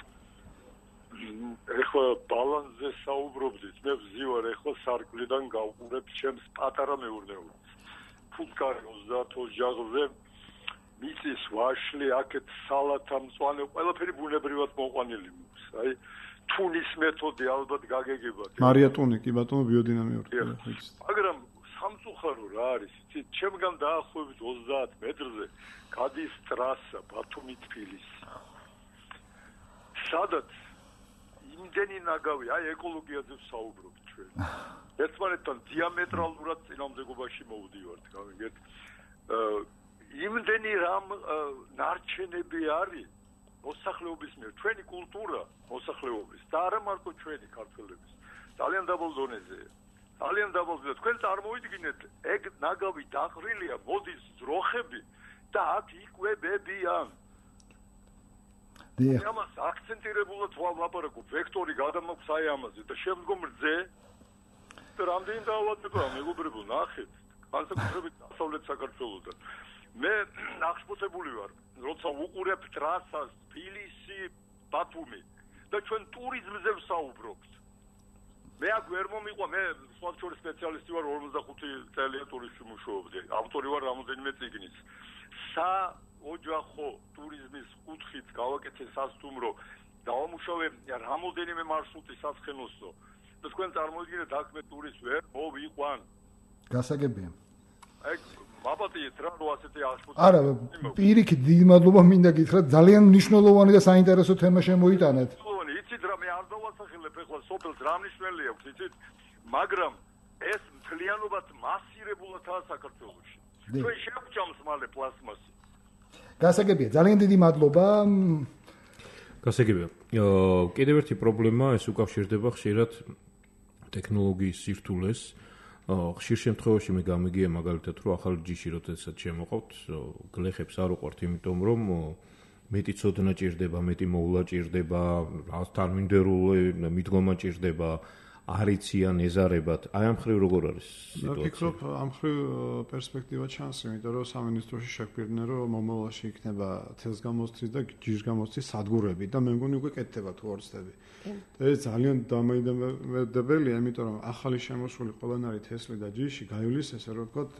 ეხლა ბალანსზე საუბრობდით. მე ვზივარ ეხლა სარკვლიდან გავყურებ ჩემს პატარა მეურნეობას. ფუტკარი ოცდაათ ოჯახზე მიწის ვაშლი, აქეთ სალათა მწვანე, ყველაფერი ბუნებრივად მოყვანილი მოს. აი თუნის მეთოდი ალბათ გაგეგებათ. მარია ტუნი, კი ბატონო, ბიოდინამიური. მაგრამ სამწუხარო რა არის, იცით, ჩემგან დაახლოებით ოცდაათ მეტრზე გადის ტრასა ბათუმი-თბილისი. სადაც იმდენი ნაგავი, აი ეკოლოგიაზე ვსაუბრობთ ჩვენ. ერთმანეთთან დიამეტრალურად წინამდებობაში მოვდივართ, გავიგეთ. იმდენი რამ ნარჩენები არის მოსახლეობის მიერ, ჩვენი კულტურა მოსახლეობის და არა მარტო ჩვენი ქართველების. ძალიან დაბალ დონეზეა. ძალიან დაბალ დონეზე. თქვენ წარმოიდგინეთ, ეგ ნაგავი დაყრილია, მოდის ძროხები და აქ იკვებებიან. დიახ. ამას აქცენტირებულად ვაპარაკობ, ვექტორი გადამოქვს აი ამაზე და შემდგომ რძე და რამდენი დაავადებაა, მეგობრებო, ნახეთ, განსაკუთრებით დასავლეთ საქართველოსთან. მე აღშფოთებული ვარ, როცა უყურებ ტრასას თბილისი, ბათუმი და ჩვენ ტურიზმზე ვსაუბრობთ. მე აქ ვერ მომიყვა, მე სხვადასხვა სპეციალისტი ვარ, ორმოცდახუთი წელია ტურიზმში მუშაობდი. ავტორი ვარ რამოდენიმე წიგნის. საოჯახო ტურიზმის კუთხით გავაკეთე სასტუმრო, დავამუშავე რამოდენიმე მარშრუტი საცხენოსნო. და თქვენ წარმოიდგინეთ, აქ მე ტურისტს ვერ მოვიყვან. გასაგებია. აი მაპატიეთ რა რო ასეთი აღშფოთება. არა, პირიქით დიდი მადლობა მინდა გითხრათ, ძალიან მნიშვნელოვანი და საინტერესო თემა შემოიტანეთ. მნიშვნელოვანი, იცით რა, მე არ დავასახელებ ეხლა სოფელს რა მნიშვნელი აქვს, იცით, მაგრამ ეს მთლიანობად მასირებულადაა საქართველოში. ჩვენ შევჭამს მალე პლასმასი. გასაგებია, ძალიან დიდი მადლობა. გასაგებია. კიდევ ერთი პრობლემა ეს უკავშირდება ხშირად ტექნოლოგიის სირთულეს. ხშირ შემთხვევაში მე გამიგია მაგალითად რომ ახალი ჯიში როდესაც შემოყავთ გლეხებს არ უყვართ იმიტომ რომ მეტი ცოდნა ჭირდება, მეტი მოვლა ჭირდება, რაღაც თანმიმდევრული მიდგომა ჭირდება, არიციან ეზარებად. აი ამ ხრივ როგორ არის სიტუაცია? მე ვფიქრობ ამ ხრივ პერსპექტივა ჩანს, იმიტომ რომ სამინისტროში შეგვირდნენ რომ მომავალში იქნება თესგამოსთვის და ჯიშგამოსთვის სადგურები და მე მგონი უკვე კეთდება თუ ორცდები. და ეს ძალიან დამაინტერესებელია, იმიტომ რომ ახალი შემოსული ყველანაირი თესლი და ჯიში გაივლის ესე რომ ვთქვათ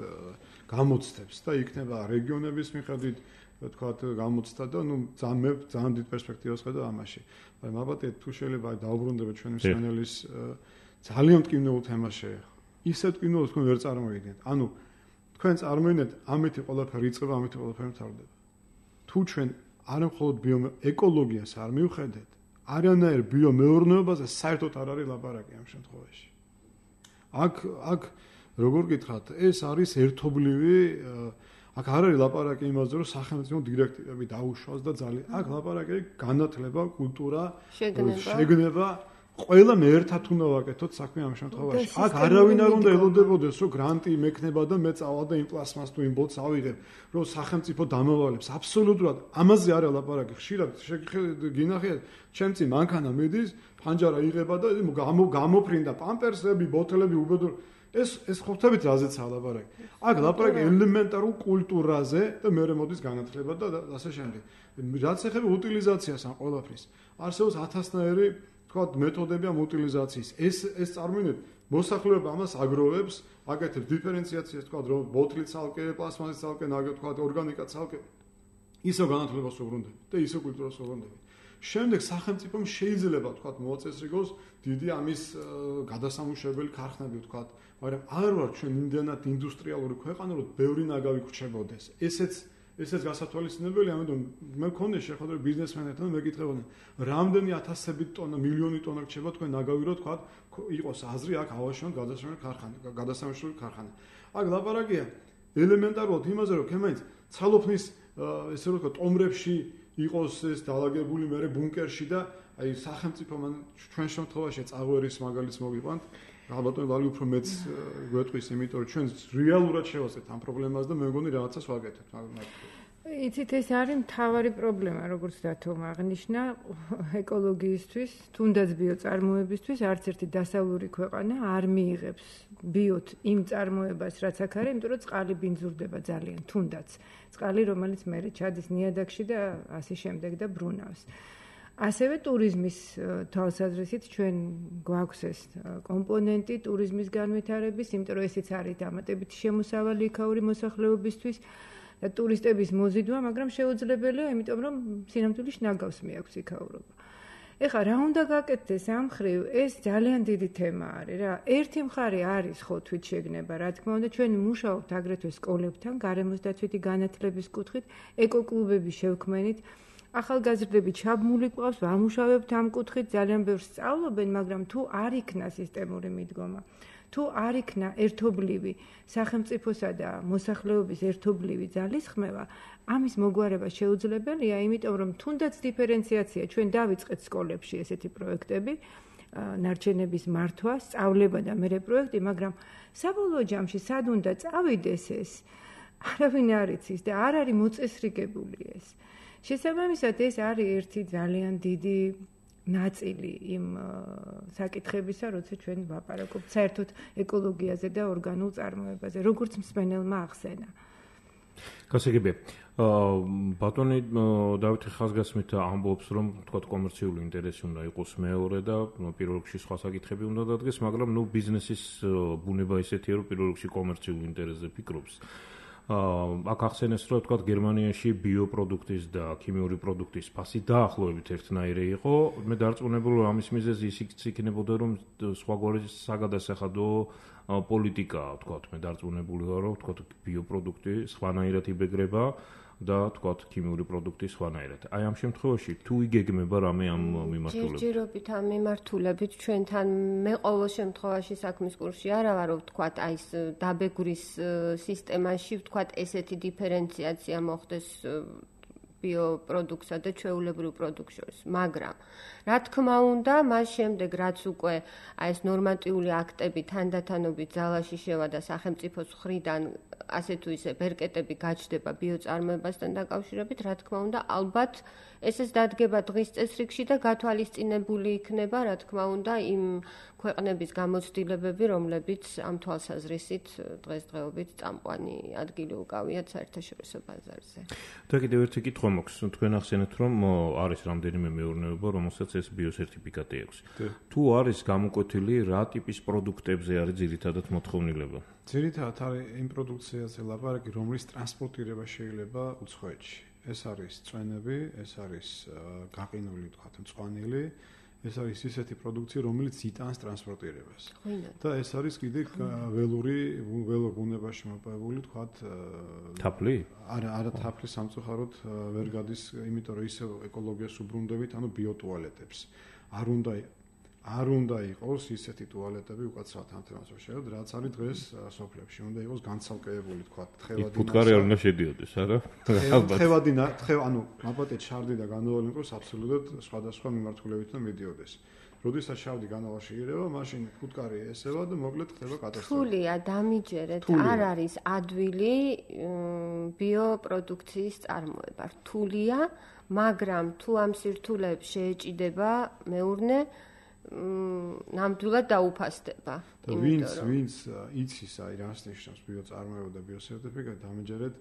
გამოცდებს და იქნება რეგიონების მიხედვით ვთქვათ გამოცდა და ნუ ძალიან ძალიან დიდ პერსპექტივას ხედავ ამაში. აი მაბატეთ თუ შეიძლება დაუბრუნდებით ჩვენი მსმენელის ძალიან მტკივნეულ თემას შეეხო. ისეთ მტკივნეულს თქვენ ვერ წარმოიდგენთ. ანუ თქვენ წარმოიდგინეთ, ამეთი ყველაფერი იწყება, ამეთი ყველაფერი მთავრდება. თუ ჩვენ არა მხოლოდ ბიოეკოლოგიას არ მივხედეთ, არანაირ ბიომეურნეობაზე საერთოდ არ არის ლაპარაკი ამ შემთხვევაში. აქ აქ როგორ გითხრათ, ეს არის ერთობლივი აქ არ არის ლაპარაკი იმაზე, რომ სახელმწიფო დირექტივები დაუშვას და ძალიან აქ ლაპარაკი განათლება, კულტურა, შეგნება, ყველა მე ერთად უნდა ვაკეთოთ საქმე ამ შემთხვევაში. აქ არავინ არ უნდა ელოდებოდეს, რომ გრანტი მექნება და მე წავალ და იმ პლასმას თუ იმ ბოთს ავიღებ, რომ სახელმწიფო დამავალებს. აბსოლუტურად ამაზე არა ლაპარაკი. ხშირად გინახიათ, ჩემცი მანქანა მიდის, ფანჯარა იღება და გამოფრინდა პამპერსები, ბოთლები უბედურ ეს ეს ხვდებით რაზეცაა ლაპარაკი. აქ ლაპარაკი ელემენტარულ კულტურაზე და მეორე მოდის განათლება და ასე შემდეგ. რაც ეხება უტილიზაციას ამ ყველაფრის. არსებობს ათასნაირი თქვათ მეთოდები ამ უტილიზაციის. ეს ეს წარმოიდგინეთ, მოსახლეობა ამას აგროვებს, აკეთებს დიფერენციაციას, თქვათ რომ ბოთლი ცალკე, პლასმასი ცალკე, თქვათ ორგანიკა ცალკე. ისო განათლებას უბრუნდები და ისო კულტურას უბრუნდები. შემდეგ სახელმწიფომ შეიძლება თქვათ მოაწესრიგოს დიდი ამის გადასამუშავებელი ქარხნები თქვათ, მაგრამ არ ვარ ჩვენ იმდენად ინდუსტრიალური ქვეყანა, რომ ბევრი ნაგავი გრჩებოდეს. ესეც ესეც გასათვალისწინებელი, ამიტომ მე მქონდა შეხვედრა ბიზნესმენებთან, მეკითხებოდნენ, რამდენი ათასობით ტონა, მილიონი ტონა რჩება თქვენ ნაგავირო თქვა, იყოს აზრი აქ ავაშონ გადასამშრომლო ქარხანა, გადასამშრომლო ქარხანა. აქ ლაპარაკია ელემენტარულად იმაზე, რომ ქემაინც ცალოფნის ესე რომ ვთქვა, ტომრებში იყოს ეს დაალაგებული მერე ბუნკერში და აი სახელმწიფო მან ჩვენ შემთხვევაში წაღვერის მაგალითს მოგიყვანთ. ალბათ ვალი უფრო მეც გვეტყვის, იმიტომ რომ ჩვენ რეალურად შევასწრებთ ამ პრობლემას და მე მგონი რაღაცას ვაკეთებთ. იცით, ეს არის მთავარი პრობლემა, როგორც დათომ აღნიშნა, ეკოლოგიისთვის, თუნდაც ბიოწარმოებისთვის, არც ერთი დასავლური ქვეყანა არ მიიღებს ბიოთ იმ წარმოებას, რაც აქ არის, იმიტომ რომ წყალი ბინძურდება ძალიან, თუნდაც. წყალი, რომელიც მერე ჩადის ნიადაგში და ასე შემდეგ და ბრუნავს. ასევე ტურიზმის თვალსაზრისით ჩვენ გვაქვს ეს კომპონენტი ტურიზმის განვითარების, იმიტომ რომ ესეც არის დამატებითი შემოსავალი იქაური მოსახლეობისთვის და ტურისტების მოზიდვა, მაგრამ შეუძლებელია, იმიტომ რომ სინამდვილეში ნაგავს მიაქვს იქაურობა. ეხლა რა უნდა გაკეთდეს ამ მხრივ, ეს ძალიან დიდი თემა არის რა. ერთი მხარე არის ხო თვით შეგნება, რა თქმა უნდა, ჩვენ მუშაობთ აგრეთვე სკოლებთან, გარემოსდაცვითი განათლების კუთხით, ეკოკლუბების შევქმნით. ახალგაზრდები ჩაბმული ყავს, ვამუშავებთ ამ კუთხით, ძალიან ბევრს სწავლობენ, მაგრამ თუ არ იქნა სისტემური მიდგომა, თუ არ იქნა ერთობლივი სახელმწიფოსა და მოსახლეობის ერთობლივი ძალისხმევა, ამის მოგვარება შეუძლებელია, იმიტომ რომ თუნდაც დიფერენციაცია ჩვენ დავიწყეთ სკოლებში ესეთი პროექტები, ნარჩენების მართვა, სწავლება და მერე პროექტი, მაგრამ საბოლოო ჯამში სად უნდა წავიდეს ეს, არავინ არ იცის და არ არის მოწესრიგებული ეს. შესაბამისად ეს არის ერთი ძალიან დიდი ნაწილი იმ საკითხებისა, როცა ჩვენ ვაპარაკობთ საერთოდ ეკოლოგიაზე და ორგანულ წარმოებაზე, როგორც მსმენელმა ახსენა. გასაგებია. ბატონი დავითი ხაზგასმით ამბობს, რომ თქვა კომერციული ინტერესი უნდა იყოს მეორე და პირველ რიგში სხვა საკითხები უნდა დადგეს, მაგრამ ნუ ბიზნესის ბუნება ისეთია, რომ პირველ რიგში კომერციულ ინტერესზე ფიქრობს. აქ ახსენეს, რომ თქვა გერმანიაში ბიოპროდუქტის და ქიმიური პროდუქტის ფასი დაახლოებით ერთნაირი იყო. მე დარწმუნებული ვარ, ამის მიზეზი ის იქნებოდა, რომ სხვაგვარი საგადასახადო პოლიტიკაა, თქვა, მე დარწმუნებული ვარ, რომ თქვა ბიოპროდუქტი სხვანაირად იბეგრება და თქვა ქიმიური პროდუქტი სხვანაირად. აი ამ შემთხვევაში თუ იგეგმება რამე ამ მიმართულებით? ჯერჯერობით ამ მიმართულებით ჩვენთან მე ყოველ შემთხვევაში საქმის კურსში არა ვარ, რომ თქვა აი ეს დაბეგვრის სისტემაში თქვა ესეთი დიფერენციაცია მოხდეს ბიოპროდუქტსა და ჩვეულებრივ პროდუქტს შორის, მაგრამ რა თქმა უნდა, მას შემდეგ რაც უკვე აი ეს ნორმატიული აქტები თანდათანობით ძალაში შევა და სახელმწიფოს მხრიდან ასე თუ ისე ბერკეტები გაჩნდება ბიოწარმოებასთან დაკავშირებით, რა თქმა უნდა, ალბათ ესეც დადგება დღის წესრიგში და გათვალისწინებული იქნება, რა თქმა უნდა, იმ ქვეყნების გამოცდილებები, რომლებიც ამ თვალსაზრისით დღესდღეობით წამყვანი ადგილი უკავიათ საერთაშორისო ბაზარზე. და კიდევ ერთი კითხვა მაქვს, თქვენ ახსენეთ, რომ არის რამდენიმე მეურნეობა, რომელსაც ეს ბიოსერტიფიკატი აქვს. თუ არის გამოკვეთილი, რა ტიპის პროდუქტებზე არის ძირითადად მოთხოვნილება? ძირითადად არის იმ პროდუქციაზე ლაპარაკი, რომლის ტრანსპორტირება შეიძლება უცხოეთში. ეს არის წვენები, ეს არის გაყინული, თქვათ, მწვანილი, ეს არის ისეთი პროდუქცია, რომელიც იტანს ტრანსპორტირებას. და ეს არის კიდე ველური, ველურ ბუნებაში მოპოვებული, თქვათ, თაფლი? არა, არა თაფლი სამწუხაროდ ვერ გადის, იმიტომ რომ ისევ ეკოლოგიას უბრუნდებით, ანუ ბიოტუალეტებს. არ უნდა არ უნდა იყოს ისეთი ტუალეტები უკაცრავად ამ თემას ვშევდ, რაც არის დღეს სოფლებში. უნდა იყოს განცალკევებული, თქვათ, თხევადი. ფუტკარი არ უნდა შედიოდეს, არა? თხევადი, თხევ, ანუ მაპატეთ შარდი და განავალი იყოს აბსოლუტურად სხვადასხვა მიმართულებითაც მიდიოდეს. როდესაც შავდი განავალში ირევა, მაშინ ფუტკარი ესევა და მოკლედ ხდება კატასტროფა. თულია, დამიჯერეთ, არ არის ადვილი ბიოპროდუქციის წარმოება. რთულია, მაგრამ თუ ამ სირთულეებს შეეჭიდება მეურნე ნამდვილად დაუფასდება. ვინც ვინც იცის აი რას ნიშნავს ბიოწარმოება და ბიოსერტიფიკატი, დამეჯერეთ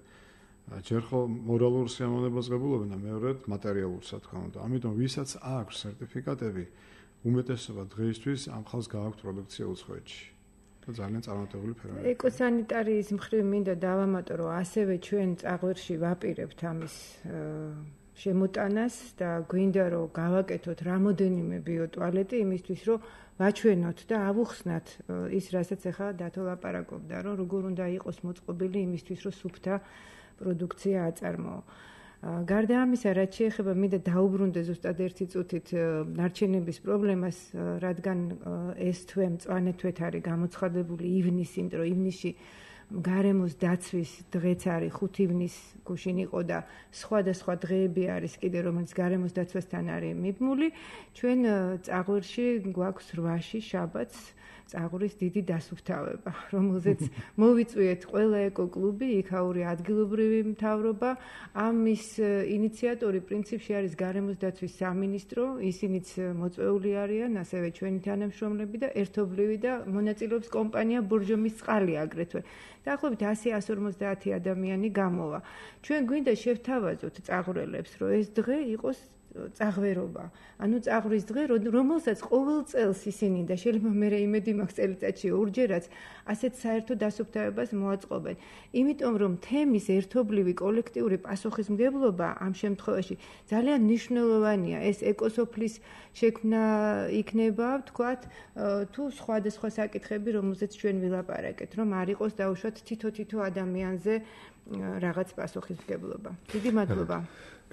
ჯერ ხო მორალურ სიამოვნებას ღებულობენ და მეორედ მატერიალურს, რა თქმა უნდა. ამიტომ ვისაც აქვს სერტიფიკატები, უმეტესობა დღეისთვის ამ ხალხს გააქვთ პროდუქცია უცხოეთში. და ძალიან წარმატებული ფერმერია. ეკოსანიტარიის მხრივ მინდა დავამატო, რომ ასევე ჩვენ წაღვერში ვაპირებთ ამის შემოტანას და გვინდა რომ გავაკეთოთ რამოდენიმე ბიოტუალეტი იმისთვის რომ ვაჩვენოთ და ავუხსნათ ის რასაც ახლა დათო ლაპარაკობდა რომ როგორ უნდა იყოს მოწყობილი იმისთვის რომ სუფთა პროდუქცია აწარმოო. გარდა ამისა, რაც შეეხება მინდა დაუბრუნდე ზუსტად ერთი წუთით ნარჩენების პრობლემას, რადგან ეს თვე მწვანე თვეთ არის გამოცხადებული ივნისით, რომ ივნისში გარემოს დაცვის დღეც არის ხუთი ივნის გუშინ იყო და სხვადასხვა დღეები არის კიდე რომელიც გარემოს დაცვასთან არის მიბმული. ჩვენ წაღვერში გვაქვს რვაში შაბათს წაღვრის დიდი დასუფთავება, რომელზეც მოვიწვიეთ ყველა ეკო-კლუბი, იქაური ადგილობრივი მთავრობა. ამის ინიციატორი პრინციპში არის გარემოს დაცვის სამინისტრო, ისინიც მოწვეული არიან, ასევე ჩვენი თანამშრომლები და ერთობლივი და მონაწილეობს კომპანია ბორჯომის წყალი აგრეთვე. დაახლოებით ასი ასი ორმოცდაათი ადამიანი გამოვა. ჩვენ გვინდა შევთავაზოთ წაღვრელებს, რომ ეს დღე იყოს წაღვერობა. ანუ წაღვრის დღე, რომელსაც ყოველ წელს ისინი და შეიძლება მე იმედი მაქვს წელიწადში ორჯერაც ასეთ საერთო დასუფთავებას მოაწყობენ. იმიტომ რომ თემის ერთობლივი კოლექტიური პასუხისმგებლობა ამ შემთხვევაში ძალიან მნიშვნელოვანია. ეს ეკოსოფლის შექმნა იქნება, ვთქვათ, თუ სხვადასხვა საკითხები, რომელზეც ჩვენ ვილაპარაკეთ, რომ არ იყოს დაუშვათ თითო-თითო ადამიანზე რაღაც პასუხისმგებლობა. დიდი მადლობა.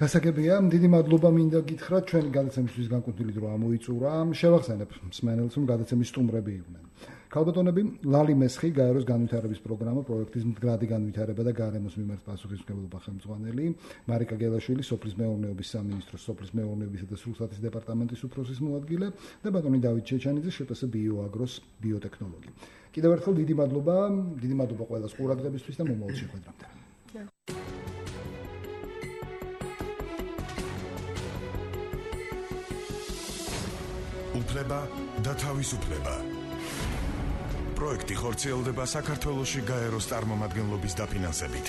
გასაგებია, დიდი მადლობა მინდა გითხრათ, ჩვენი გადაცემისთვის განკუთვნილი დრო ამოიწურა. შევახსენებ მსმენელს, რომ გადაცემის სტუმრები იყვნენ. ქალბატონები, ლალი მესხი, გაეროს განვითარების პროგრამა, პროექტის მდგრადი განვითარება და გარემოს მიმართ პასუხისმგებლობა ხელმძღვანელი, მარიკა გელაშვილი, სოფლის მეურნეობის სამინისტროს სოფლის მეურნეობისა და სრულსათის დეპარტამენტის უფროსის მოადგილე და ბატონი დავით ჩეჩანიძე, შპს ბიოაგროს ბიოტექნოლოგი. კიდევ ერთხელ დიდი მადლობა, დიდი მადლობა ყველას ყურადღებისთვის და მომავალ შეხვედრამდე. უფლება და თავისუფლება. პროექტი ხორციელდება საქართველოში გაეროს წარმომადგენლობის დაფინანსებით.